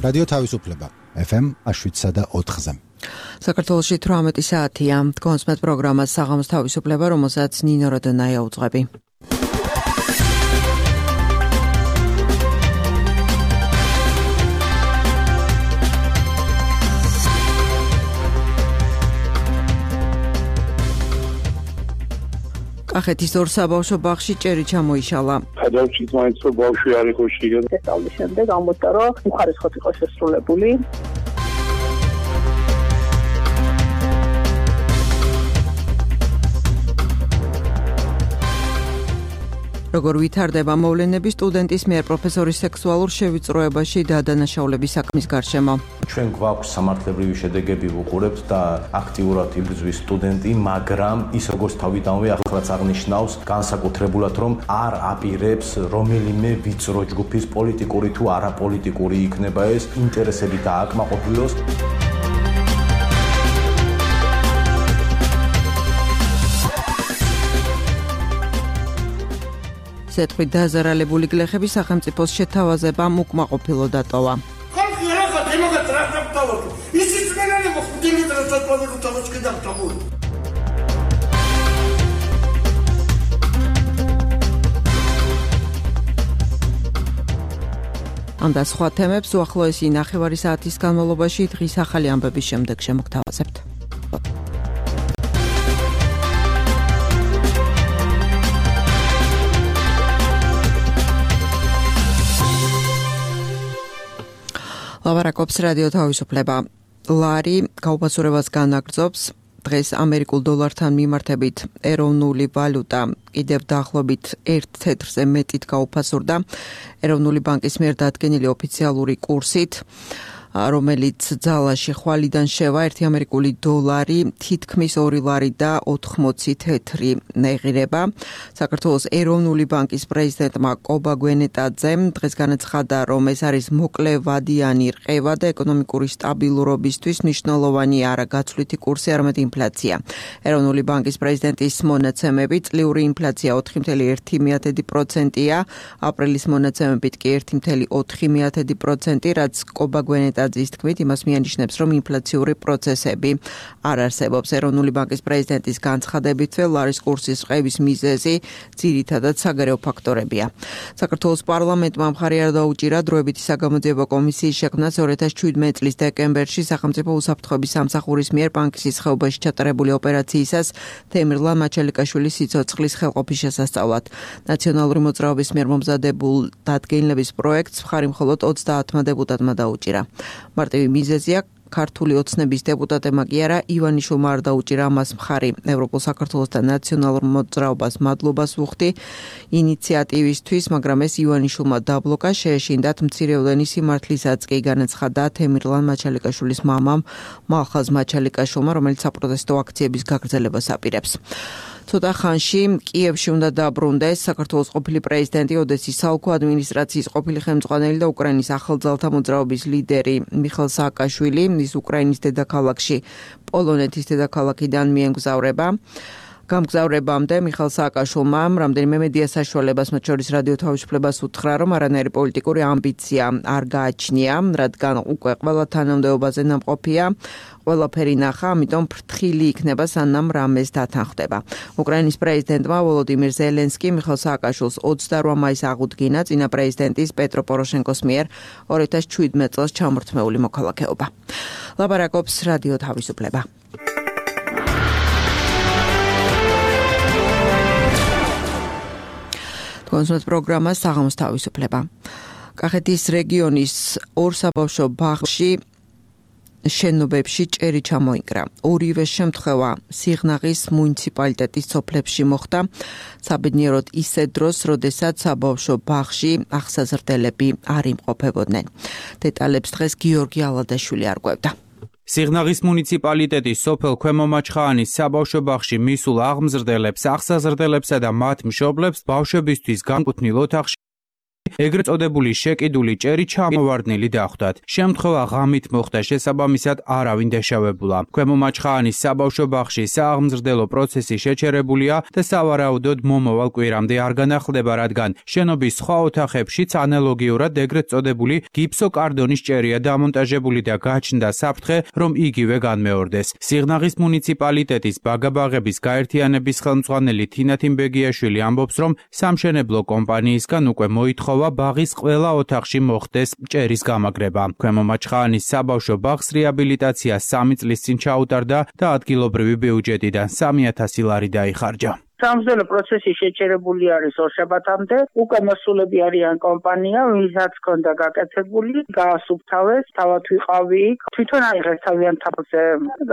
რადიო თავისუფლება FM 7.4-ზე. საქართველოში 18 საათია. კონსმეთ პროგრამას საღამოს თავისუფლება, რომელსაც ნინო როდონაია უძღვები. კახეთის ორ საბავშვო ბაღში ჭერი ჩამოიშალა. გადავჭით მაინც რომ ბავშვი არ იყო შიგან. სწავლის შემდეგ ამბობდა რომ უხარისხოდ იყო შესრულებული. როგორ ვითარდება მოვლენები სტუდენტის მიერ პროფესორის სექსუალურ შევიწროებაში და დანაშაულების საქმის გარშემო. ჩვენ გვაქვს სამართლებრივი შედეგები ვუყურებთ და აქტიურად იბრძვის სტუდენტი, მაგრამ ის როგორც თავიდანვე ახლაც აღნიშნავს განსაკუთრებულად რომ არ აპირებს რომელიმე ვიწრო ჯგუფის პოლიტიკური თუ არაპოლიტიკური იქნება ეს ინტერესები დააკმაყოფილოს. ზეთყვით დაზარალებული გლეხების სახელმწიფოს შეთავაზებამ უკმაყოფილო დატოვა. ამ და სხვა თემებს უახლოესი ნახევარი საათის განმავლობაში დღის ახალი ამბების შემდეგ შემოგთავაზებთ. ლავარაკობს რადიო თავისუფლება. ლარი გაუფასურებას განაგრძობს. დღეს ამერიკულ დოლართან მიმართებით ეროვნული ვალუტა კიდევ დაახლოებით 1 თეთრზე მეტით გაუფასურდა ეროვნული ბანკის მიერ დადგენილი ოფიციალური კურსით, რომელიც ძალაში ხვალიდან შევა 1 ამერიკული დოლარი თითქმის 2 ლარი და 80 თეთრი ეღირება. საქართველოს ეროვნული ბანკის პრეზიდენტმა კობა გვენეტაძემ დღეს განაცხადა, რომ ეს არის მოკლევადიანი რყევა და ეკონომიკური სტაბილურობისთვის მნიშვნელოვანი არა გაცვლითი კურსი, არამედ ინფლაცია. ეროვნული ბანკის პრეზიდენტის მონაცემებით წლიური ინფლაცია 4,1%-ია, აპრილის მონაცემებით კი 1,4%, რაც კობა გვენეტაძის თქმით იმას მიანიშნებს, რომ ინფლაციური პროცესები არ არსებობს. ეროვნული ბანკის პრეზიდენტის განცხადებითვე ლარის კურსის რყევის მიზეზი ძირითადად საგარეო ფაქტორებია. საქართველოს პარლამენტმა მხარი არ დაუჭირა დროებითი საგამოძიებო კომისიის შექმნას 2017 წლის დეკემბერში სახელმწიფო უსაფრთხოების სამსახურის მიერ ბანკის ხეობაში ჩატარებული ოპერაციისას თემირლან მაჩალიკაშვილის სიცოცხლის ხელყოფის შესასწავლად. ნაციონალური მოძრაობის მიერ მომზადებულ დადგენილების პროექტს მხარი მხოლოდ 30 დეპუტატმა დაუჭირა. მარტივი მიზეზია ქართული ოცნების დეპუტატებმა კი არა, ივანიშვილმა არ დაუჭირა ამას მხარი. ევროპულ საქართველოს და ნაციონალურ მოძრაობას მადლობას ვუხდი ინიციატივისთვის, მაგრამ ეს ივანიშვილმა დაბლოკა, შეეშინდათ მცირეოდენი სიმართლისაც კი განაცხადა თემირლან მაჩალიკაშვილის მამამ მალხაზ მაჩალიკაშვილმა, რომელიც საპროტესტო აქციების გაგრძელებას აპირებს. ცოტა ხანში კიევში უნდა დაბრუნდეს საქართველოს ყოფილი პრეზიდენტი, ოდესის საოლქო ადმინისტრაციის ყოფილი ხელმძღვანელი და უკრაინის ახალძალთა მოძრაობის ლიდერი მიხეილ სააკაშვილი. ის უკრაინის დედაქალაქში პოლონეთის დედაქალაქიდან მიემგზავრება. გამგზავრებამდე მიხეილ სააკაშვილმა რამდენიმე მედია საშუალებას, მათ შორის რადიო თავისუფლებას უთხრა, რომ არანაირი პოლიტიკური ამბიცია არ გააჩნია, რადგან უკვე ყველა თანამდებობაზე ნამყოფია, ყველაფერი ნახა, ამიტომ ფრთხილი იქნება, სანამ რამეს დათანხმდება. უკრაინის პრეზიდენტმა ვოლოდიმირ ზელენსკი მიხეილ სააკაშვილს 28 მაისს აღუდგინა წინა პრეზიდენტის პეტრო პოროშენკოს მიერ 2017 წელს ჩამორთმეული მოქალაქეობა. ლაბარაკობს რადიო თავისუფლება. კონსმეთ პროგრამა საღამოს თავისუფლება. კახეთის რეგიონის ორ საბავშვო ბაღში შენობებში ჭერი ჩამოიკრა. ორივე შემთხვევა სიღნაღის მუნიციპალიტეტის სოფლებში მოხდა, საბედნიეროდ ისე დროს, როდესაც საბავშვო ბაღში აღსაზრდელები არ იმყოფებოდნენ. დეტალებს დღეს გიორგი ალადაშვილი არკვევდა. სიღნაღის მუნიციპალიტეტის სოფელ ქვემო მაჩხაანის საბავშვო ბაღში მისულ აღმზრდელებს, აღსაზრდელებსა და მათ მშობლებს ბავშვებისთვის განკუთვნილ ოთახში ეგრეთ წოდებული შეკიდული ჭერი ჩამოვარდნილი დახვდათ. შემთხვევა ღამით მოხდა, შესაბამისად არავინ დაშავებულა. ქვემო მაჩხაანის საბავშვო ბაღში სააღმზრდელო პროცესი შეჩერებულია და სავარაუდოდ მომავალ კვირამდე არ განახლდება, რადგან შენობის სხვა ოთახებშიც ანალოგიურად ეგრეთ წოდებული გიფსოკარდონის ჭერია დამონტაჟებული და გაჩნდა საფრთხე, რომ იგივე განმეორდეს. სიღნაღის მუნიციპალიტეტის ბაგაბაღების გაერთიანების ხელმძღვანელი თინა თიმბეგიაშვილი ამბობს, რომ სამშენებლო კომპანიისგან უკვე მოითხოვა ბაღის ყველა ოთახში მოხდეს ჭერის გამაგრება. ქვემო მაჩხაანის საბავშვო ბაღს რეაბილიტაცია 3 წლის წინ ჩაუტარდა და ადგილობრივი ბიუჯეტიდან 3000 ლარი დაიხარჯა. სამზელო პროცესი შეჩერებული არის ორშაბათამდე. უკვე მოსულები არიან კომპანია, ვისაც ჰქონდა გაკეთებული, გაასუფთავეს, თავად ვიყავი იქ. თვითონ აიღეს თავიანთ თაფლზე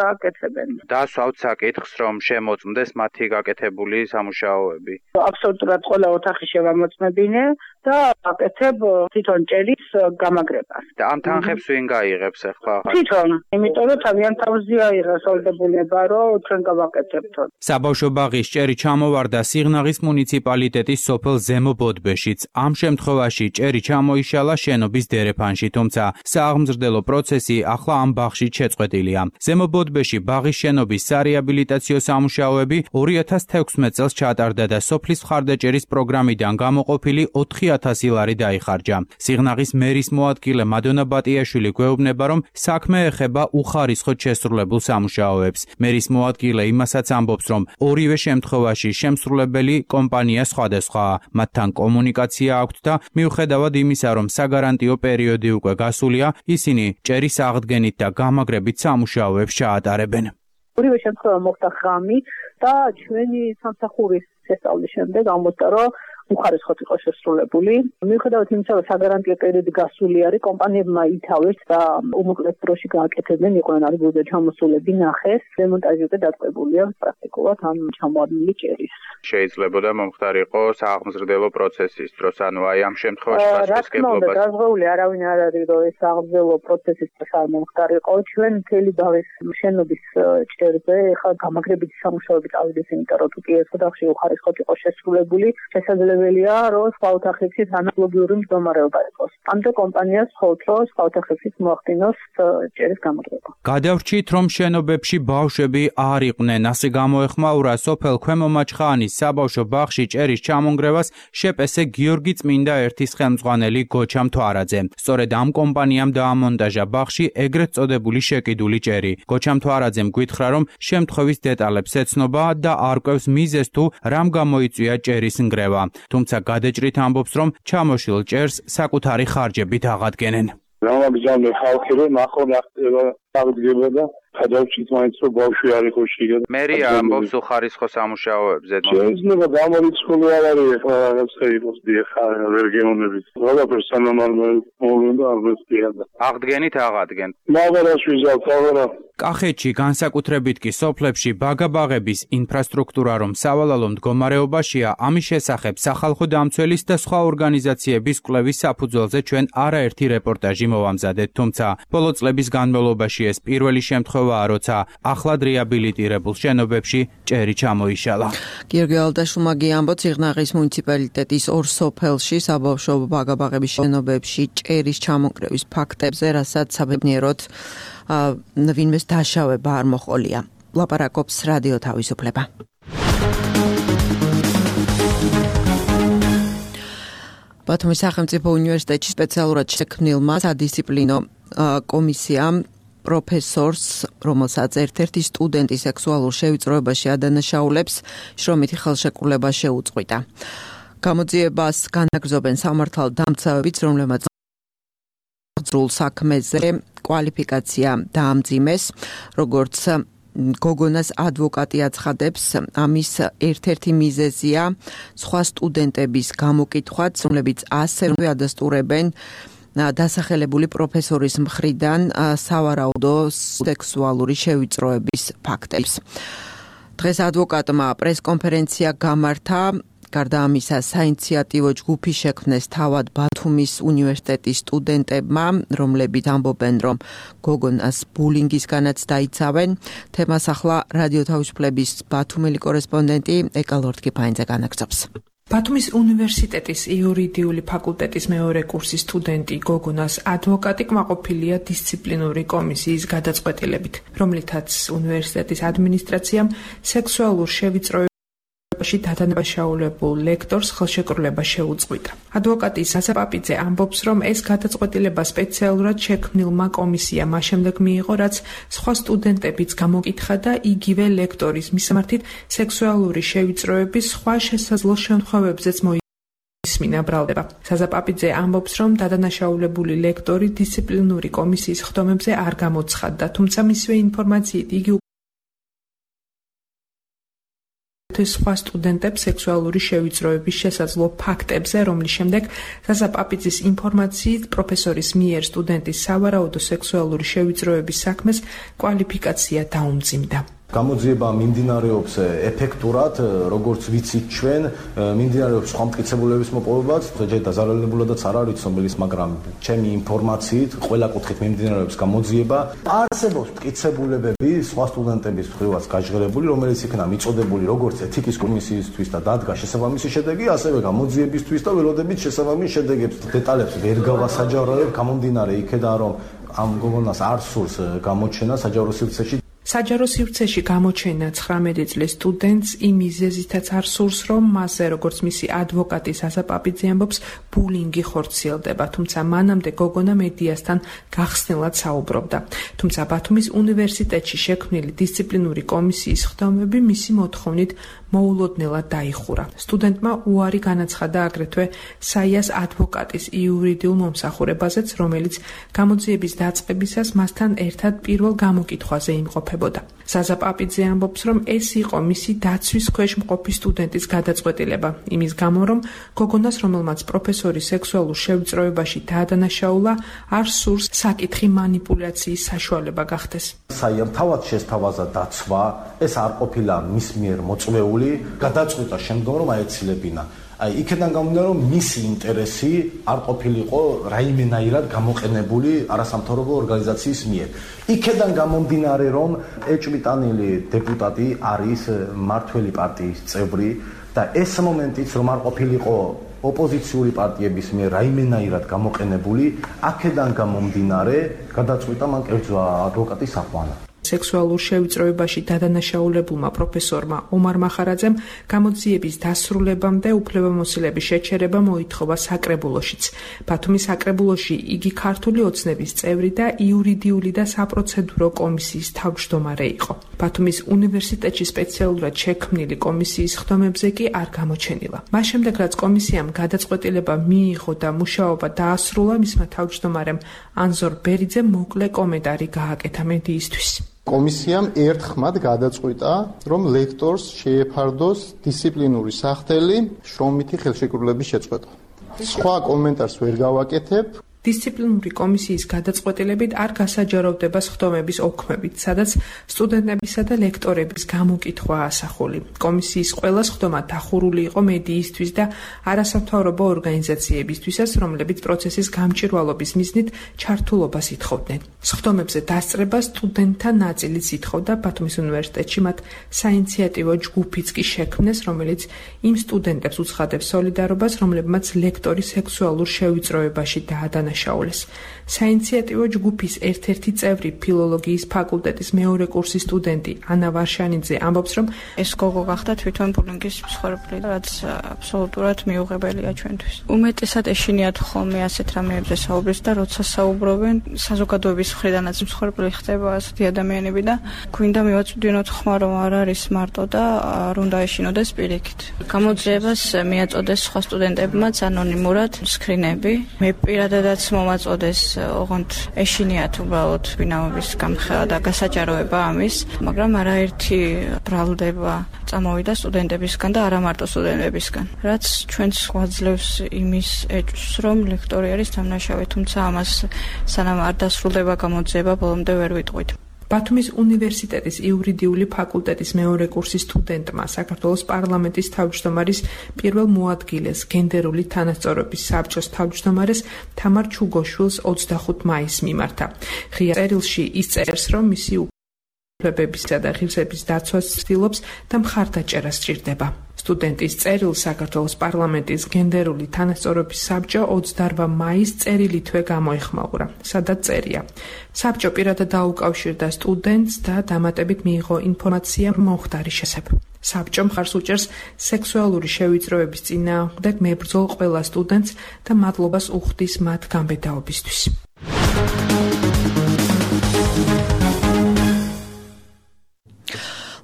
გააკეთებენ. დასვავთ საკითხს, რომ შემოწმდეს მათი გაკეთებული სამუშაოები. აბსოლუტურად ყველა ოთახი შევამოწმებინე და აკეთებ თვითონ ჭერის გამაგრებას. და ამ თანხებს ვინ გაიღებს ახლა? თვითონ, იმიტომ რომ თავიანთ თავზე აიღეს ვალდებულება, რომ ჩვენ გავაკეთებთ. საბავშვო ბაღის ჭერი ჩამოვარდა სიღნაღის მუნიციპალიტეტის სოფელ ზემო ბოდბეშიც. ამ შემთხვევაში ჭერი ჩამოიშალა შენობის დერეფანში, თუმცა სააღმზრდელო პროცესი ახლა ამ ბაღში შეწყვეტილია. ზემო ბოდბეში ბაღის შენობის სარეაბილიტაციო სამუშაოები 2016 წელს ჩატარდა და სოფლის მხარდაჭერის პროგრამიდან გამოყოფილი 4000 ლარი დაიხარჯა. სიღნაღის მერის მოადგილე მადონა ბატიაშვილი გვეუბნება, რომ საქმე ეხება უხარისხოდ შესრულებულ სამუშაოებს. მერის მოადგილე იმასაც ამბობს, რომ ორივე შემთხვევაში შემსრულებელი კომპანია სხვადასხვაა. მათთან კომუნიკაცია აქვთ და მიუხედავად იმისა, რომ საგარანტიო პერიოდი უკვე გასულია, ისინი ჭერის აღდგენით და გამაგრებით სამუშაოებს ჩაატარებენ. ორივე შემთხვევა მოხდა ღამი და ჩვენი სამსახურის შესწავლის შემდეგ ამბობდა, რომ უხარისხოდ იყო შესრულებული. მიუხედავად იმისა, რომ საგარანტიო პერიოდი გასული არის, კომპანიებმა ითავეს და უმოკლეს დროში გააკეთებდნენ, იყვნენ არგულზე ჩამოსულები, ნახეს, დემონტაჟი უკვე დაწყებულია პრაქტიკულად ამ ჩამოვარდნილი ჭერის. შეიძლებოდა მომხდარიყო სააღმზრდელო პროცესის დროს, ანუ აი ამ შემთხვევაში პასუხისმგებლობას. დაზღვეული არავინ არ არის, რომ ეს სააღმზრდელო პროცესის დროს არ მომხდარიყო. ჩვენ მთელი ბაღის შენობის ჭერზე ხა გამაგრებითი სამუშაოები წავიდეს, იმიტომ რომ თუ კი ეს ოთახში უხარისხოდ იყო შესრულებული, შესაძლებელია, რომ სხვა ოთახებშიც ანალოგიური მდგომარეობა იყოს. ამიტომ კომპანიას ხოვთ, რომ სხვა ოთახებშიც მოახდინოს ჭერის გამაგრება. გადავრჩით, რომ შენობებში ბავშვები არ იყვნენ, ასე გამოეხმაურა სოფელ ქვემო მაჩხაანის საბავშვო ბაღში ჭერის ჩამონგრევას შეპესე გიორგი წმინდა ერთის ხელმძღვანელი გოჩა მთვარაძე. სწორედ ამ კომპანიამ დაამონტაჟა ბაღში ეგრეთ წოდებული შეკიდული ჭერი. გოჩა მთვარაძემ გითხრა, რომ შემთხვევის დეტალებს ეცნობა და არ კვევს მიზეზს თუ რამ გამოიწვია ჭერის ნგრევა. თუმცა გადაჭრით ამბობს, რომ ჩამოშლილ ჭერს საკუთარი ხარჯებით აღადგენენ. გამაგზავნე ხალხი რომ ახლა ახდება აღდგება და გადავჭით მაინც რომ ბავშვი არ იყო შიგა. მერია ამბობს უხარისხო სამუშაოებზე. შეიძლება გამორიცხული არ არის ახლა რაღაცა იყოს დიახ რეგიონებით. ყველაფერს სანამარმოვლენდა არ ვესწრებდა. აღდგენით აღადგენ. მაგარას ვიზავთ აღარა. კახეთში განსაკუთრებით კი სოფლებში ბაგაბაღების ინფრასტრუქტურა რომ სავალალო მდგომარეობაშია, ამის შესახებ სახალხო დამცველის და სხვა ორგანიზაციების კვლევის საფუძველზე ჩვენ არაერთი რეპორტაჟი მოვამზადეთ, თუმცა ბოლო წლების განმავლობაში ეს პირველი შემთხვევაა, როცა ახლად რეაბილიტირებულ შენობებში ჭერი ჩამოიშალა. გიორგი ალდაშულმა ამბობს, სიღნაღის მუნიციპალიტეტის ორ სოფელში საბავშვო ბაგაბაღების შენობებში ჭერის ჩამონგრევის ფაქტებზე, რასაც საბედნიეროდ ვინმეს დაშავება არ მოყოლია. ლაპარაკობს რადიო თავისუფლება. ბათუმის სახელმწიფო უნივერსიტეტში სპეციალურად შექმნილმა სადისციპლინო კომისიამ პროფესორს, რომელსაც ერთ-ერთი სტუდენტი სექსუალურ შევიწროებაში ადანაშაულებს, შრომითი ხელშეკრულება შეუწყვიტა. გამოძიებას განაგრძობენ სამართალდამცავებიც, რომლებმაც ძრულ საქმეზე კვალიფიკაცია დაამძიმეს, როგორც გოგონას ადვოკატი აცხადებს, ამის ერთ-ერთი მიზეზია სხვა სტუდენტების გამოკითხვაც, რომლებიც ასევე ადასტურებენ დასახელებული პროფესორის მხრიდან სავარაუდო სექსუალური შევიწროების ფაქტებს. დღეს ადვოკატმა პრესკონფერენცია გამართა. გარდა ამისა, საინიციატივო ჯგუფი შექმნეს თავად ბათუმის უნივერსიტეტის სტუდენტებმა, რომლებიც ამბობენ, რომ გოგონას ბულინგისგანაც დაიცავენ. თემას ახლა რადიო თავისუფლების ბათუმელი კორესპონდენტი ეკალორთკიფაინძე განაგრძობს. ბათუმის უნივერსიტეტის იურიდიული ფაკულტეტის მეორე კურსის სტუდენტი გოგონას ადვოკატი კმაყოფილია დისციპლინური კომისიის გადაწყვეტილებით, რომლითაც უნივერსიტეტის ადმინისტრაციამ სექსუალურ შევიწროებაში დადანაშაულებულ ლექტორს ხელშეკრულება შეუწყვიტა. ადვოკატი ზაზა პაპიძე ამბობს, რომ ეს გადაწყვეტილება სპეციალურად შექმნილმა კომისიამ შემდეგ მიიღო, რაც სხვა სტუდენტებიც გამოკითხა და იგივე ლექტორის მისამართით სექსუალური შევიწროების სხვა შესაძლო შემთხვევებზეც ისმინა ბრალდება. ზაზა პაპიძე ამბობს, რომ დადანაშაულებული ლექტორი დისციპლინური კომისიის ხდომებზე არ გამოცხადდა, თუმცა მისივე ინფორმაციით იგი სხვა სტუდენტებს სექსუალური შევიწროების შესაძლო ფაქტებზე, რომლის შემდეგ ზაზა პაპიძის ინფორმაციით პროფესორის მიერ სტუდენტის სავარაუდო სექსუალური შევიწროების საქმეს კვალიფიკაცია დაუმძიმდა. გამოძიება მიმდინარეობს ეფექტურად, როგორც ვიცით ჩვენ, მიმდინარეობს სხვა მტკიცებულების მოპოვებაც, ჯერ დაზარალებულადაც არ არის ცნობილის, მაგრამ ჩემი ინფორმაციით ყველა კუთხით მიმდინარეობს გამოძიება. არსებობს მტკიცებულებები სხვა სტუდენტების მხრივაც გაჟღერებული, რომელიც იქნა მიწოდებული როგორც ეთიკის კომისიისთვის და დადგა შესაბამისი შედეგი, ასევე გამოძიებისთვის და ველოდებით შესაბამის შედეგებს. დეტალებს ვერ გავასაჯაროებ, გამომდინარე იქედან, რომ ამ გოგონას არ სურს გამოჩენა საჯარო სივრცეში. საჯარო სივრცეში გამოჩენა 19 წლის სტუდენტს იმ მიზეზითაც არ სურს, რომ მასზე, როგორც მისი ადვოკატი ზაზა პაპიძე ამბობს, ბულინგი ხორციელდება, თუმცა მანამდე გოგონა მედიასთან გახსნილად საუბრობდა. თუმცა ბათუმის უნივერსიტეტში შექმნილი დისციპლინური კომისიის ხდომები მისი მოთხოვნით მოულოდნელად დაიხურა. სტუდენტმა უარი განაცხადა აგრეთვე საიას ადვოკატის იურიდიულ მომსახურებაზეც, რომელიც გამოძიების დაწყებისას მასთან ერთად პირველ გამოკითხვაზე იმყოფებოდა. ზაზა პაპიძე ამბობს, რომ ეს იყო მისი დაცვის ქვეშ მყოფი სტუდენტის გადაწყვეტილება, იმის გამო, რომ გოგონას, რომელმაც პროფესორის სექსუალურ შევიწროებაში დაადანაშაულა, არ სურს საკითხი მანიპულაციის საშუალება გახდეს. საიამ თავად შესთავაზა დაცვა, ეს არ ყოფილა მის მიერ მოწვეული, გადაწყვიტა შემდგომ რომ აეცილებინა. იქიდან გამომდინარე, რომ მისი ინტერესი არ ყოფილიყო რაიმენაირად გამოყენებული არასამთავრობო ორგანიზაციის მიერ. იქიდან გამომდინარე, რომ ეჭვმიტანილი დეპუტატი არის მმართველი პარტიის წევრი და ეს მომენტიც რომ არ ყოფილიყო ოპოზიციური პარტიების მიერ რაიმენაირად გამოყენებული, აქედან გამომდინარე გადაწყვიტა მან კერძო ადვოკატის აყვანა. სექსუალურ შევიწროებაში დადანაშაულებულმა პროფესორმა ომარ მახარაძემ გამოძიების დასრულებამდე უფლებამოსილების შეჩერება მოითხოვა საკრებულოშიც. ბათუმის საკრებულოში იგი ქართული ოცნების წევრი და იურიდიული და საპროცედურო კომისიის თავმჯდომარე იყო. ბათუმის უნივერსიტეტში სპეციალურად შექმნილი კომისიის ხდომებზე კი არ გამოჩენილა. მას შემდეგ, რაც კომისიამ გადაწყვეტილება მიიღო და მუშაობა დაასრულა, მისმა თავმჯდომარემ ანზორ ბერიძემ მოკლე კომენტარი გააკეთა მედიისთვის. კომისიამ ერთხმად გადაწყვიტა, რომ ლექტორს შეეფარდოს დისციპლინური სახელი შრომითი ხელშეკრულების შეწყვეტა. სხვა კომენტარს ვერ გავაკეთებ. დისციპლინური კომისიის გადაწყვეტილებით არ გასაჯაროვდება სხდომების ოქმებით, სადაც სტუდენტებისა და ლექტორების გამოკითხვა ასახული. კომისიის ყველა სხდომა დახურული იყო მედიისთვის და არასამთავრობო ორგანიზაციებისთვისაც, რომლებიც პროცესის გამჭვირვალობის მიზნით ჩართულობას ითხოვდნენ. სხდომებზე დასწრება სტუდენტთა ნაწილიც ითხოვდა, ბათუმის უნივერსიტეტში მათ საინიციატივო ჯგუფიც კი შექმნეს, რომელიც იმ სტუდენტებს უცხადებს სოლიდარობას, რომლებმაც ლექტორი სექსუალურ შევიწროებაში დაადანაშაულეს. საინიციატივო ჯგუფის ერთ-ერთი წევრი ფილოლოგიის ფაკულტეტის მეორე კურსის სტუდენტი ანა ვარშანიძე ამბობს, რომ ეს გოგო გახდა თვითონ ბულინგის მსხვერპლი, რაც აბსოლუტურად მიუღებელია ჩვენთვის. უმეტესად ეშინიათ ხოლმე ასეთ რამეებზე საუბრის და როცა საუბრობენ, საზოგადოების მხრიდანაც მსხვერპლი ხდება ასეთი ადამიანები და გვინდა მივაწვდინოთ ხმა, რომ არ არის მარტო და არ უნდა ეშინოდეს პირიქით. გამოძიებას მიაწოდეს სხვა სტუდენტებმაც ანონიმურად სკრინები. მე პირადადაც მომაწოდეს ოღონდ ეშინიათ უბრალოდ ბინაობის გამხელა და გასაჯაროება ამის, მაგრამ არაერთი ბრალდება წამოვიდა სტუდენტებისგან და არა მარტო სტუდენტებისგან, რაც ჩვენს გვაძლევს იმის ეჭვს, რომ ლექტორი არის დამნაშავე, თუმცა ამას სანამ არ დასრულდება გამოძიება, ბოლომდე ვერ ვიტყვით. ბათუმის უნივერსიტეტის იურიდიული ფაკულტეტის მეორე კურსის სტუდენტმა საქართველოს პარლამენტის თავმჯდომარის პირველ მოადგილეს გენდერული თანასწორობის საბჭოს თავმჯდომარეს თამარ ჩუგოშვილს 25 მაისს მიმართა. ღია წერილში ის წერს, რომ მისი უფლებებისა და ღირსების დაცვას ცდილობს და მხარდაჭერას სჭირდება. სტუდენტის წერილს საქართველოს პარლამენტის გენდერული თანასწორობის საბჭო 28 მაისს წერილითვე გამოეხმაურა, სადაც წერია. საბჭო პირადად დაუკავშირდა სტუდენტს და დამატებით მიიღო ინფორმაცია მომხდარის შესახებ. საბჭო მხარს უჭერს სექსუალური შევიწროების წინააღმდეგ მებრძოლ ყველა სტუდენტს და მადლობას უხდის მათ გამბედაობისთვის.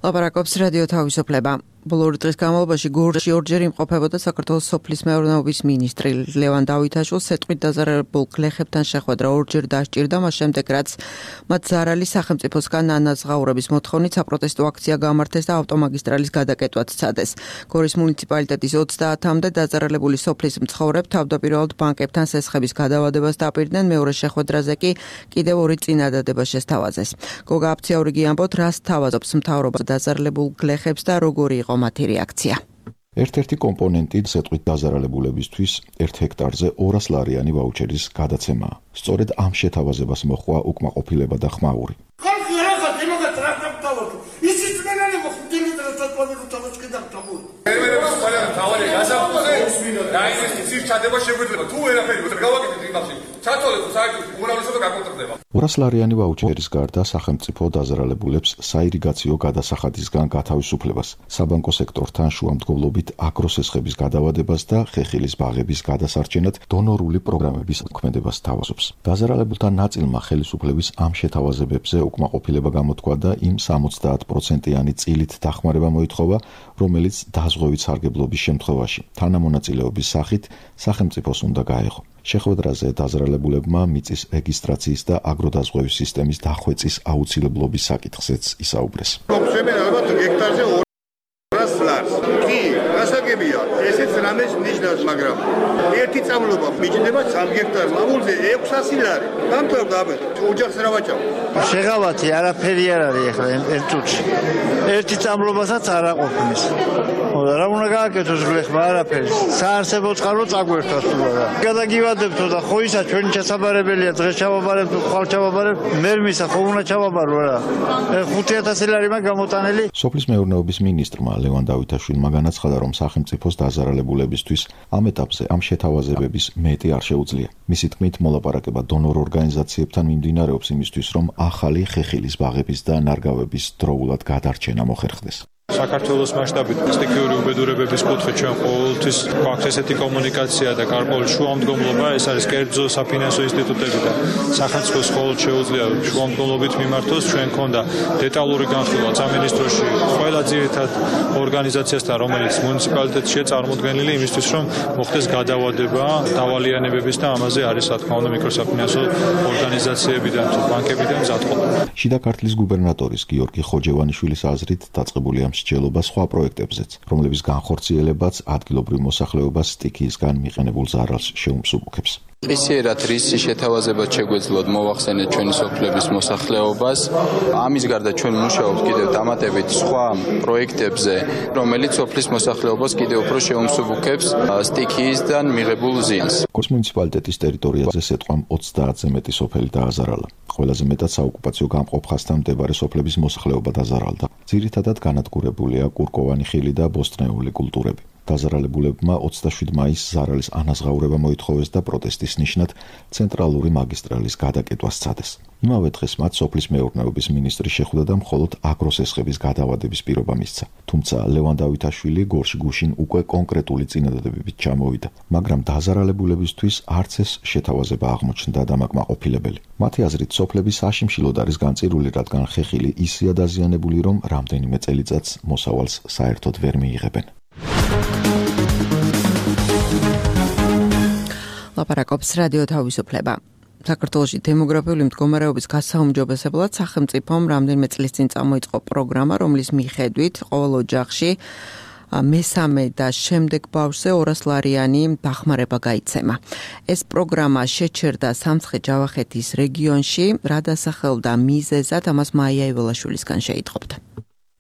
ლაპარაკობს რადიო თავისუფლება. ბოლო დღის განმავლობაში გორში ორჯერ იმყოფებოდა საქართველოს სოფლის მეურნეობის მინისტრი ლევან დავითაშვილს სეტყვით დაზარალებულ გლეხებთან შეხვედრა ორჯერ დასჭირდა, მას შემდეგ რაც მათ ზარალი სახელმწიფოსგან ანაზღაურების მოთხოვნით საპროტესტო აქცია გამართეს და ავტომაგისტრალის გადაკეტვაც სცადეს. გორის მუნიციპალიტეტის 30-მდე დაზარალებული სოფლის მცხოვრებ თავდაპირველად ბანკებთან სესხების გადავადებას დაპირდნენ, მეორე შეხვედრაზე კი კიდევ ორი წინადადება შესთავაზეს. გოგა აფციაურიგი ამბობთ, რას თავაზობს მთავრობა დაზარალებულ გლეხებს და როგორი იყო მათი რეაქცია. ერთ-ერთი კომპონენტი სეტყვით დაზარალებულებისთვის 1 ჰექტარზე 200 ლარიანი ვაუჩერის გადაცემაა. სწორედ ამ შეთავაზებას მოჰყვა უკმაყოფილება და ხმაური. ლარიანი ვაუჩერის გარდა სახელმწიფო დაზარალებულებს საირიგაციო გადასახადისგან გათავისუფლებას, საბანკო სექტორთან შუამდგომლობით აგროსესხების გადავადებას და ხეხილის ბაღების გადასარჩენად დონორული პროგრამების მოქმედებას თავაზობს. დაზარალებულთა ნაწილმა ხელისუფლების ამ შეთავაზებებზე უკმაყოფილება გამოთქვა და იმ 70%-იანი წილით დახმარება მოითხოვა, რომელიც დაზღვევით სარგებლობის შემთხვევაში თანამონაწილეობის სახით სახელმწიფოს უნდა გაეღო. შეხვედრაზე დაზარალებულებმა მიწის რეგისტრაციის და აგროდაზღვევის სისტემის დახვეწის აუცილებლობის საკითხზეც ისაუბრეს. ჰექტარზე 200 ლარს. კი, გასაგებია, ესეც რამეს ნიშნავს, მაგრამ ერთი წამლობა მიჭდება 3 ჰექტარ მამულზე 600 ლარი. დამთავრდა აბეთ, ოჯახს რა ვაჭავ? შეღავათი არაფერი არ არის ახლა ერთ წუთში. ერთი წამლობასაც არ აყოფნის. რა უნდა გააკეთოს გლეხმა არაფერი. საარსებო წყარო წაგვერთვას თულა. გადაგივადებთო და ხო ისა ჩვენი ჩასაბარებელია დღეს ჩავაბარებთ, ხვალ ჩავაბარებთ, მერმისა ხო უნდა ჩავაბარო რა. 5000 ლარი მაგ გამოტანელი. სოფლის მეურნეობის მინისტრმა ლევან დავითაშვილმა განაცხადა, რომ სახელმწიფოს დაზარალებულებისთვის ამ ეტაპზე ამ შეთავაზებების მეტი არ შეუძლია. მისი თქმით, მოლაპარაკება დონორ ორგანიზაციებთან მიმდინარეობს იმისთვის, რომ ახალი ხეხილის ბაღების და ნარგავების დროულად გადარჩენა მოხერხდეს. საქართველოს მასშტაბით სტიქიური უბედურებების კუთხით ჩვენ ყოველთვის გვაქვს ესეთი კომუნიკაცია და გარკვეული შუამდგომლობა, ეს არის კერძო საფინანსო ინსტიტუტები და სახელმწიფოს მხოლოდ შეუძლია შუამდგომლობით მიმართოს. ჩვენ ქონდა დეტალური განხილვა სამინისტროში ყველა ძირითად ორგანიზაციასთან, რომელიც მუნიციპალიტეტშია წარმოდგენილი იმისთვის, რომ მოხდეს გადავადება დავალიანებების და ამაზე არის რა თქმა უნდა მიკროსაფინანსო ორგანიზაციებიდან თუ ბანკებიდან მზადყოფა. შიდა ქართლის გუბერნატორის გიორგი ხოჯევანიშვილის აზრით დაწყებული ამ მსჯელობა სხვა პროექტებზეც, რომლების განხორციელებაც ადგილობრივ მოსახლეობას სტიქიისგან მიყენებულ ზარალს შეუმსუბუქებს. ისიერად რისი შეთავაზებაც შეგვეძლოთ მოვახსენეთ ჩვენი სოფლების მოსახლეობას. ამის გარდა ჩვენ მუშაობთ კიდევ დამატებით სხვა პროექტებზე, რომელიც სოფლის მოსახლეობას კიდევ უფრო შეუმსუბუქებს სტიქიისგან მიღებულ ზიანს. გორის მუნიციპალიტეტის ტერიტორიაზე სეტყვამ 30-ზე მეტი სოფელი დააზარალა. ყველაზე მეტად საოკუპაციო გამყოფ ხაზთან მდებარე სოფლების მოსახლეობა დაზარალდა. ძირითადად განადგურებულია კურკოვანი ხილი და ბოსტნეული კულტურები. დაზარალებულებმა 27 მაისს ზარალის ანაზღაურება მოითხოვეს და პროტესტის ნიშნად ცენტრალური მაგისტრალის გადაკეტვა სცადეს. იმავე დღეს მათ სოფლის მეურნეობის მინისტრი შეხვდა და მხოლოდ აგროსესხების გადავადების პირობა მისცა. თუმცა ლევან დავითაშვილი გორში გუშინ უკვე კონკრეტული წინადადებებით ჩამოვიდა, მაგრამ დაზარალებულებისთვის არც ეს შეთავაზება აღმოჩნდა დამაკმაყოფილებელი. მათი აზრით, სოფლები საშიმშილოდ არის განწირული, რადგან ხეხილი ისეა დაზიანებული, რომ რამდენიმე წელიწადს მოსავალს საერთოდ ვერ მიიღებენ. ლაპარაკობს რადიო თავისუფლება. საქართველოში დემოგრაფიული მდგომარეობის გასაუმჯობესებლად სახელმწიფომ რამდენიმე წლის წინ წამოიწყო პროგრამა, რომლის მიხედვით ყოველ ოჯახში მესამე და შემდეგ ბავშვზე 200 ლარიანი დახმარება გაიცემა. ეს პროგრამა შეჩერდა სამცხე-ჯავახეთის რეგიონში, რა დასახელდა მიზეზად, ამას მაია იველაშვილისგან შეიტყობთ.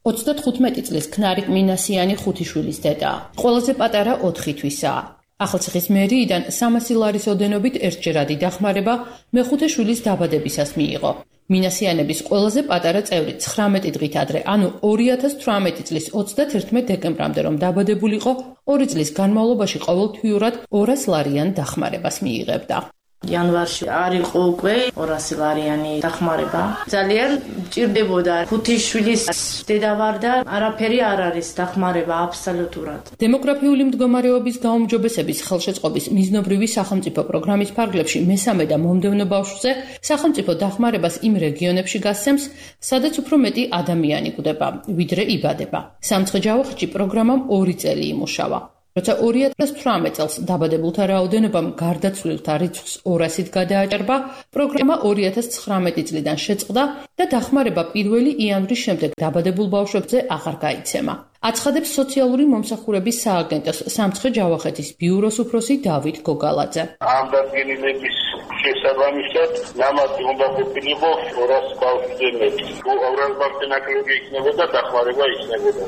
35 წლის ქნარიკ მინასიანი 5 შვილის დედა. ყველაზე პატარა 4 თვისაა. ახალციხის მერიიდან 300 ლარის ოდენობით ერთჯერადი დახმარება მეხუთე შვილის დაბადებისას მიიღო. მინასიანების ყველაზე პატარა წევრი 19 დღით ადრე, ანუ 2018 წლის 31 დეკემბრამდე რომ დაბადებულიყო, 2 წლის განმავლობაში ყოველთვიურად 200 ლარიან დახმარებას მიიღებდა. იანვარში არ იყო უკვე 200 ლარიანი დახმარება. ძალიან ჭირდებოდა 5 შვილის დედა ვარ და არაფერი არ არის დახმარება აბსოლუტურად. დემოგრაფიული მდგომარეობის გაუმჯობესების ხელშეწყობის მიზნობრივი სახელმწიფო პროგრამის ფარგლებში მესამე და მომდევნო ბავშვზე სახელმწიფო დახმარებას იმ რეგიონებში გასცემს, სადაც უფრო მეტი ადამიანი გვდება, ვიდრე იბადება. სამცხე-ჯავახეთში პროგრამამ 2 წელი იმუშავა. როცა 2018 წელს დაბადებულთა რაოდენობამ გარდაცვლილთა რიცხვს 200-ით გადააჭარბა, პროგრამა 2019 წლიდან შეწყდა და დახმარება 1 იანვრის შემდეგ დაბადებულ ბავშვებზე აღარ გაიცემა. აცხადებს სოციალური მომსახურების სააგენტოს სამცხე-ჯავახეთის ბიუროს უფროსი დავით გოგალაძე. ამ დადგენილების შესაბამისად ნამატი უნდა ყოფილიყო 200 ბავშვზე მეტი. 200 ბავშვზე ნაკლები იქნებოდა, დახმარება იქნებოდა.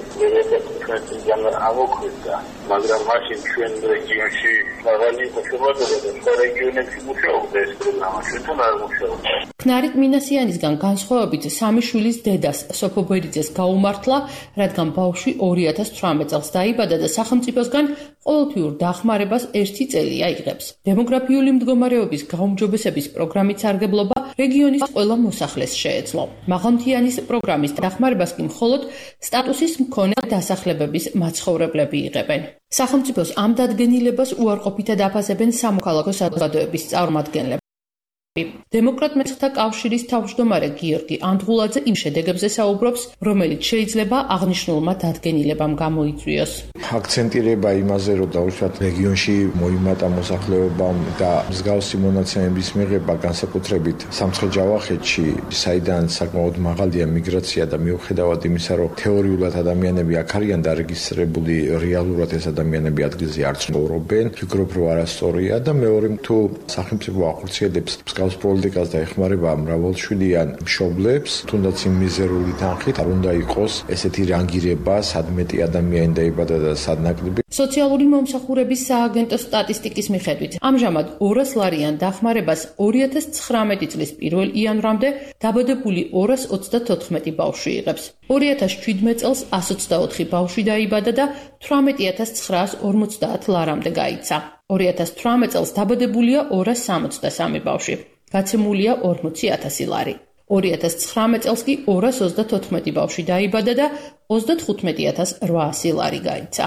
ჩვენ ამოქმედდა, მაგრამ მაშინ ჩვენ რეგიონში მაღალი ხოშობადობა და სხვა რეგიონებში მუშაობდა ეს პროგრამა, ჩვენთან არ მუშაობდა. ქნარით მინასიანისგან განსხვავებით 3 შვილის დედას სოფო ბერიძეს გაუმართლა, რადგან ბავშვი 2018 წელს დაიბადა და სახელმწიფოსგან ყოველთვიურ დახმარებას 1 წელია იღებს. დემოგრაფიული მდგომარეობის გაუმჯობესების პროგრამის სარგებლობა რეგიონის ყველა მოსახლეს შეეძლო. მაღალმთიანის პროგრამის დახმარებას კი მხოლოდ სტატუსის მქონე დასახლებების მაცხოვრებლები იღებენ. სახელმწიფოს ამ დადგენილებას უარყოფითად აფასებენ სამოქალაქო საზოგადოების წარმომადგენლები. დემოკრატ მეცხრთა კავშირის თავმჯდომარე გიორგი ანდღულაძე იმ შედეგებზე საუბრობს, რომელიც შეიძლება აღნიშნულმა დადგენილებამ გამოიწვიოს. აქცენტირება იმაზე, რომ დაუშვათ რეგიონში მოიმატა მოსახლეობამ და მსგავსი მონაცემების მიღება განსაკუთრებით სამცხე-ჯავახეთში, საიდან საკმაოდ მაღალია მიგრაცია და მიუხედავად იმისა, რომ თეორიულად ადამიანები აქ არიან დარეგისტრირებული, რეალურად ეს ადამიანები ადგილზე არ ცხოვრობენ, ფიქრობ, რომ არასწორია და მეორე თუ სახელმწიფო ახორციელებს მსგავს პოლიტიკას და ეხმარება მრავალშვილიან მშობლებს, თუნდაც იმ მიზერული თანხით არ უნდა იყოს ესეთი რანგირება, სად მეტი ადამიანი დაიბადა და სად ნაკლები. სოციალური მომსახურების სააგენტოს სტატისტიკის მიხედვით, ამჟამად 200 ლარიან დახმარებას 2019 წლის 1 იანვრამდე დაბადებული 234 ბავშვი იღებს. 2017 წელს 124 ბავშვი დაიბადა და 18950 ლარამდე გაიცა. 2018 წელს დაბადებულია 263 ბავშვი. გაცემულია 40000 ლარი. 2019 წელს კი 234 ბავშვი დაიბადა და 35800 ლარი გაიცა.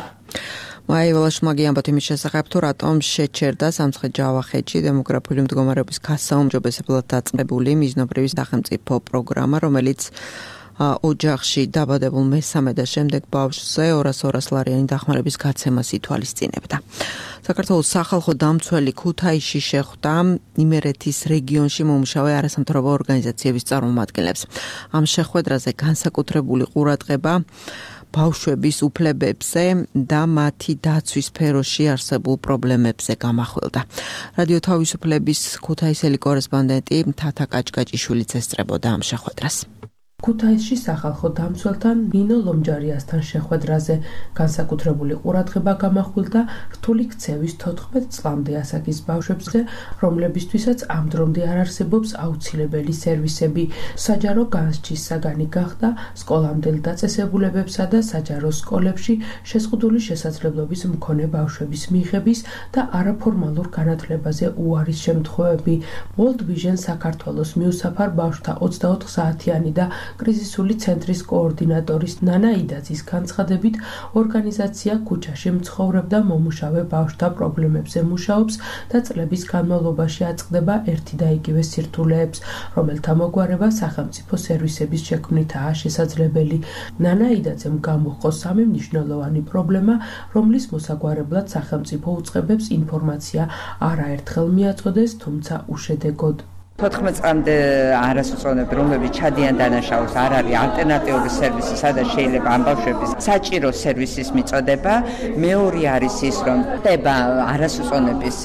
მაივალა შმაგი ამბობთ იმის შესახებ, თუ რატომ შეჩერდა სამცხე-ჯავახეთში დემოგრაფიული მდგომარეობის გასაუმჯობესებლად დაწყებული მიზნობრივი სახელმწიფო პროგრამა, რომელიც ოჯახში დაბადებულ მესამე და შემდეგ ბავშვზე 200 ლარიანი დახმარების გაცემას ითვალისწინებდა. საქართველოს სახალხო დამცველი ქუთაისში შეხვდა იმერეთის რეგიონში მომუშავე არასამთავრობო ორგანიზაციების წარმომადგენლებს. ამ შეხვედრაზე განსაკუთრებული ყურადღება ბავშვების უფლებებზე და მათი დაცვის სფეროში არსებულ პრობლემებზე გამახვილდა. რადიო თავისუფლების ქუთაისელი კორესპონდენტი თათა კაჭკაჭიშვილიც ესწრებოდა ამ შეხვედრას. ქუთაისში სახალხო დამცველთან ნინო ლომჯარიასთან შეხვედრაზე განსაკუთრებული ყურადღება გამახვილდა რთული ქცევის 14 წლამდე ასაკის ბავშვებზე, რომლებისთვისაც ამ დრომდე არ არსებობს აუცილებელი სერვისები. საჯარო განსჯის საგანი გახდა სკოლამდელ დაწესებულებებსა და საჯარო სკოლებში შეზღუდული შესაძლებლობის მქონე ბავშვების მიღების და არაფორმალურ განათლებაზე უარის შემთხვევები. World Vision საქართველოს მიუსაფარ ბავშვთა 24 საათიანი და კრიზისული ცენტრის კოორდინატორის ნანა იდაძის განცხადებით, ორგანიზაცია ქუჩაში მცხოვრებ და მომუშავე ბავშვთა პრობლემებზე მუშაობს და წლების განმავლობაში აწყდება ერთი და იგივე სირთულეებს, რომელთა მოგვარება სახელმწიფო სერვისების შექმნითაა შესაძლებელი. ნანა იდაძემ გამოჰყო სამი მნიშვნელოვანი პრობლემა, რომლის მოსაგვარებლად სახელმწიფო უწყებებს ინფორმაცია არაერთხელ მიაწოდეს, თუმცა უშედეგოდ. 14 წამდე არასწორები, რომლებიც ჩადიან დანაშაულს, არ არის ალტერნატიული სერვისი, სადაც შეიძლება ამ ბავშვების საჭირო სერვისის მიწოდება. მეორე არის ის, რომ ხდება არასწორების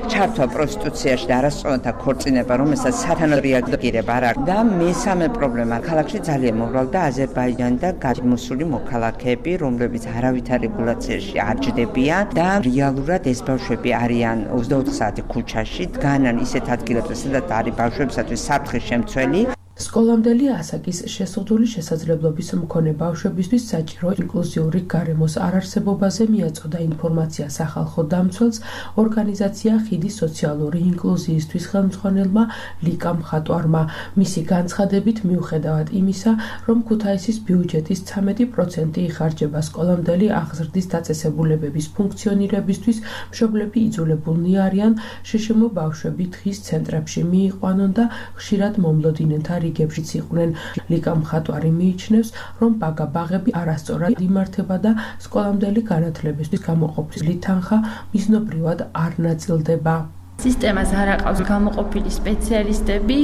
ჩართვა პროსტიტუციაში და არასწორთა ქორწინება, რომელსაც სათანადო რეაგირება არ აქვს. და მესამე პრობლემა, ქალაქში ძალიან მოვალდა აზერბაიჯანი და გადმოსული მოქალაქეები, რომლებიც არავითარ რეგულაციაში არ ჯდებიან და რეალურად ეს ბავშვები არიან 24 საათი ქუჩაში, დგანან ისეთ ადგილებზე, სადაც არის ბავშვებისათვის საფრთხის შემცველი. სკოლამდელი ასაკის შესაძლებელი შესაძლებლობის მქონე ბავშვებისთვის საჭირო ინკლუზიური გარემოს არარსებობაზე მიაწოდა ინფორმაცია სახალხო დამცველს ორგანიზაცია ხიდი სოციალური ინკლუზიისთვის ხელმძღვანელმა ლიკა მხატვარმა. მისი განცხადებით, მიუხედავად იმისა, რომ ქუთაისის ბიუჯეტის 13% იხარჯება სკოლამდელი აღზრდის დაწესებულებების ფუნქციონირებისთვის, მშობლები იძულებულნი არიან შშმ ბავშვები დღის ცენტრებში მიიყვანონ და ხშირად მომლოდინენ რიგებშიც იყვნენ. ლიკა მხატვარი მიიჩნევს, რომ ბაგა-ბაღები არასწორად იმართება და სკოლამდელი განათლებისთვის გამოყოფილი თანხა მიზნობრივად არ ნაწილდება. სისტემას არ აყავს გამოყოფილი სპეციალისტები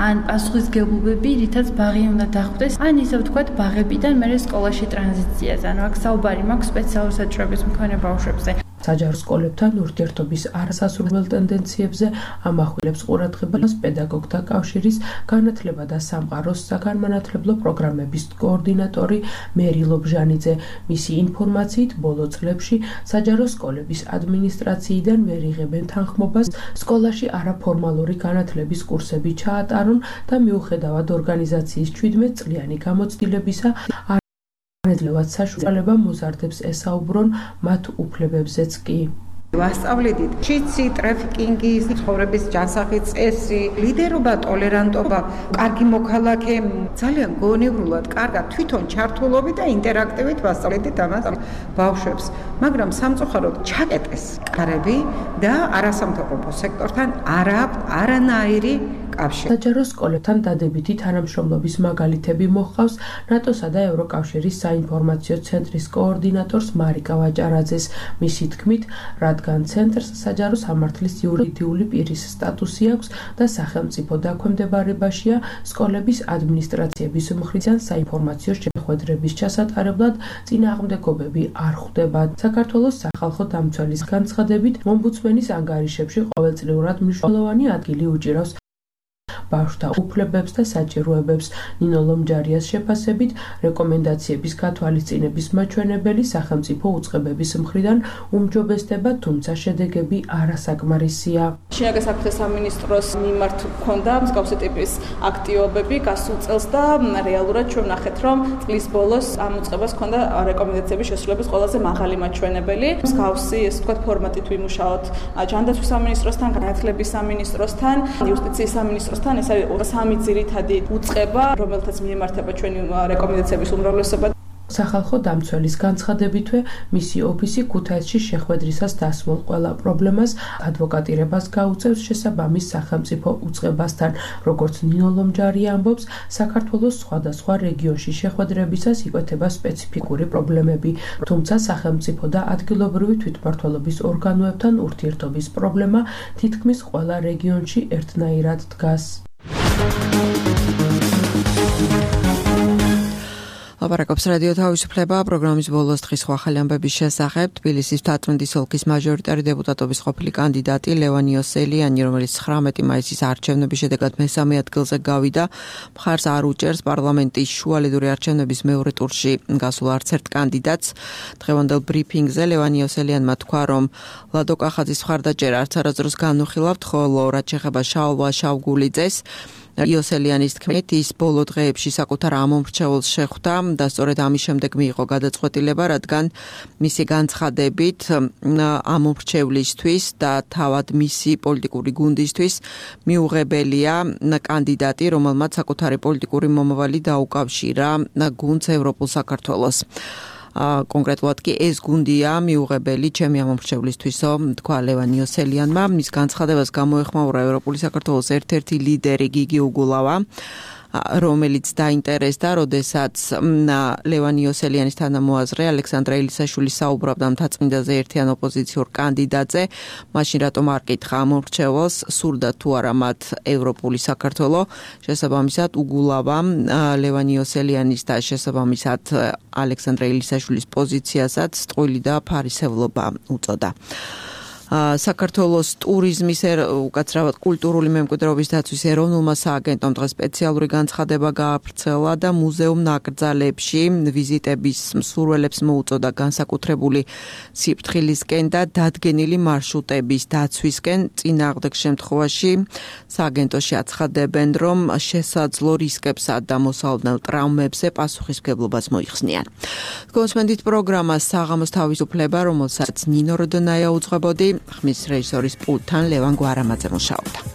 ან პასუხისმგებლობები, რითაც ბაღი უნდა დახვდეს, ან ისე ვთქვათ, ბაღებიდან მერე სკოლაში ტრანზიციაზე. ანუ აქ საუბარი მაქვს სპეციალური საჭიროების მქონე ბავშვებზე. საჯარო სკოლებთან ურთიერთობის არასასურველ ტენდენციებზე ამახვილებს ყურადღებას პედაგოგთა კავშირის განათლება და სამყაროს საგანმანათლებლო პროგრამების კოორდინატორი მერი ლობჟანიძე. მისი ინფორმაციით, ბოლო წლებში საჯარო სკოლების ადმინისტრაციიდან ვერ იღებენ თანხმობას სკოლაში არაფორმალური განათლების კურსები ჩაატარონ და მიუხედავად ორგანიზაციის 17 წლიანი გამოცდილებისა არანედლევად საშუალება მოზარდებს ესაუბრონ მათ უფლებებზეც კი. ვასწავლედით ჩიცი, ტრაფიკინგის, ცხოვრების ჯანსაღი წესი, ლიდერობა, ტოლერანტობა, კარგი მოქალაქე, ძალიან გონივრულად, კარგად თვითონ ჩართულობით და ინტერაქტივით ვასწავლედით ამას ბავშვებს. მაგრამ სამწუხაროდ ჩაკეტეს კარები და არასამთავრობო სექტორთან არ აქვს არანაირი კავშირი. საჯარო სკოლებთან დადებითი თანამშრომლობის მაგალითები მოჰყავს ნატოსა და ევროკავშირის საინფორმაციო ცენტრის კოორდინატორს მარიკა ვაჭარაძეს. მისი თქმით, რადგან ცენტრს საჯარო სამართლის იურიდიული პირის სტატუსი აქვს და სახელმწიფო დაქვემდებარებაშია, სკოლების ადმინისტრაციების მხრიდან საინფორმაციო შეხვედრების ჩასატარებლად წინააღმდეგობები არ ხვდება. საქართველოს სახალხო დამცველის განცხადებით, ომბუდსმენის ანგარიშებში ყოველწლიურად მნიშვნელოვანი ადგილი უჭირავს ბავშვთა უფლებებს და საჭიროებებს. ნინო ლომჯარიას შეფასებით, რეკომენდაციების გათვალისწინების მაჩვენებელი სახელმწიფო უწყებების მხრიდან უმჯობესდება, თუმცა შედეგები არასაკმარისია. შინაგან საქმეთა სამინისტროს მიმართ ჰქონდა მსგავსი ტიპის აქტივობები გასულ წელს და რეალურად ჩვენ ვნახეთ, რომ წლის ბოლოს ამ უწყებას ჰქონდა რეკომენდაციების შესრულების ყველაზე მაღალი მაჩვენებელი. მსგავსი, ესე ვთქვათ, ფორმატით ვიმუშაოთ ჯანდაცვის სამინისტროსთან, განათლების სამინისტროსთან, იუსტიციის სამინისტროსთან. ეს არის სამი ძირითადი უწყება, რომელთაც მიემართება ჩვენი რეკომენდაციების უმრავლესობა. სახალხო დამცველის განცხადებითვე, მისი ოფისი ქუთაისში შეხვედრისას დასმულ ყველა პრობლემას ადვოკატირებას გაუწევს შესაბამის სახელმწიფო უწყებასთან. როგორც ნინო ლომჯარია ამბობს, საქართველოს სხვადასხვა რეგიონში შეხვედრებისას იკვეთება სპეციფიკური პრობლემები, თუმცა სახელმწიფო და ადგილობრივი თვითმმართველობის ორგანოებთან ურთიერთობის პრობლემა თითქმის ყველა რეგიონში ერთნაირად დგას. ლაპარაკობს რადიო თავისუფლება პროგრამის ბოლოს დღის ახალი ამბების შესახებ. თბილისის თატრუნდის ოლქის მაჟორიტარი დეპუტატობის ყოფილი კანდიდატი ლევან იოსელიანი, რომელიც 19 მაისის არჩევნების შედეგად მესამე ადგილზე გავიდა, მხარს არ უჭერს პარლამენტის შუალედური არჩევნების მეორე ტურში გასულ არც ერთ კანდიდატს. დღევანდელ ბრიფინგზე ლევან იოსელიანმა თქვა, რომ ლადო კახაძის მხარდაჭერა არც არასდროს განუხილავთ, ხოლო რაც შეეხება შალვა შავგულიძეს, იოსელიანის თქმით, ის ბოლო დღეებში საკუთარ ამომრჩეველს შეხვდა და სწორედ ამის შემდეგ მიიღო გადაწყვეტილება, რადგან მისი განცხადებით ამომრჩევლისთვის და თავად მისი პოლიტიკური გუნდისთვის მიუღებელია კანდიდატი, რომელმაც საკუთარი პოლიტიკური მომავალი დაუკავშირა გუნდს ევროპულ საქართველოს. კონკრეტულად კი ეს გუნდია მიუღებელი ჩემი ამომრჩევლისთვისო, თქვა ლევან იოსელიანმა. მის განცხადებას გამოეხმაურა ევროპული საქართველოს ერთ-ერთი ლიდერი გიგი უგულავა. რომელიც დაინტერესდა, როდესაც ლევან იოსელიანის თანამოაზრე ალექსანდრე ელისაშვილის საუბრობდა მთაწმინდაზე ერთიან ოპოზიციურ კანდიდატზე, მაშინ რატომ არ კითხა ამორჩეველს, სურდა თუ არა მათ ევროპული საქართველო, შესაბამისად უგულავა ლევან იოსელიანის და შესაბამისად ალექსანდრე ელისაშვილის პოზიციასაც წყვილი და ფარისევლობა უწოდა. საქართველოს ტურიზმის უკაცრავად კულტურული მემკვიდრეობის დაცვის ეროვნულმა სააგენტომ დღეს სპეციალური განცხადება გააფრთხილა და მუზეუმ ნაკრძალებში ვიზიტების მსურველებს მოუწოდა განსაკუთრებული სიფრთხილისკენ და დადგენილი მარშრუტების დაცვისკენ. წინააღმდეგ შემთხვევაში სააგენტოში აცხადებენ, რომ შესაძლო რისკებსა და მოსალოდნელ ტრავმებზე პასუხისმგებლობას მოიხსნიან. კონსმენდით პროგრამა საღამოს თავისუფლება, რომელსაც ნინო როდონაია უძღვებოდი. ხმის რეჟისორის პულტთან ლევან გვარამაძე მუშაობდა.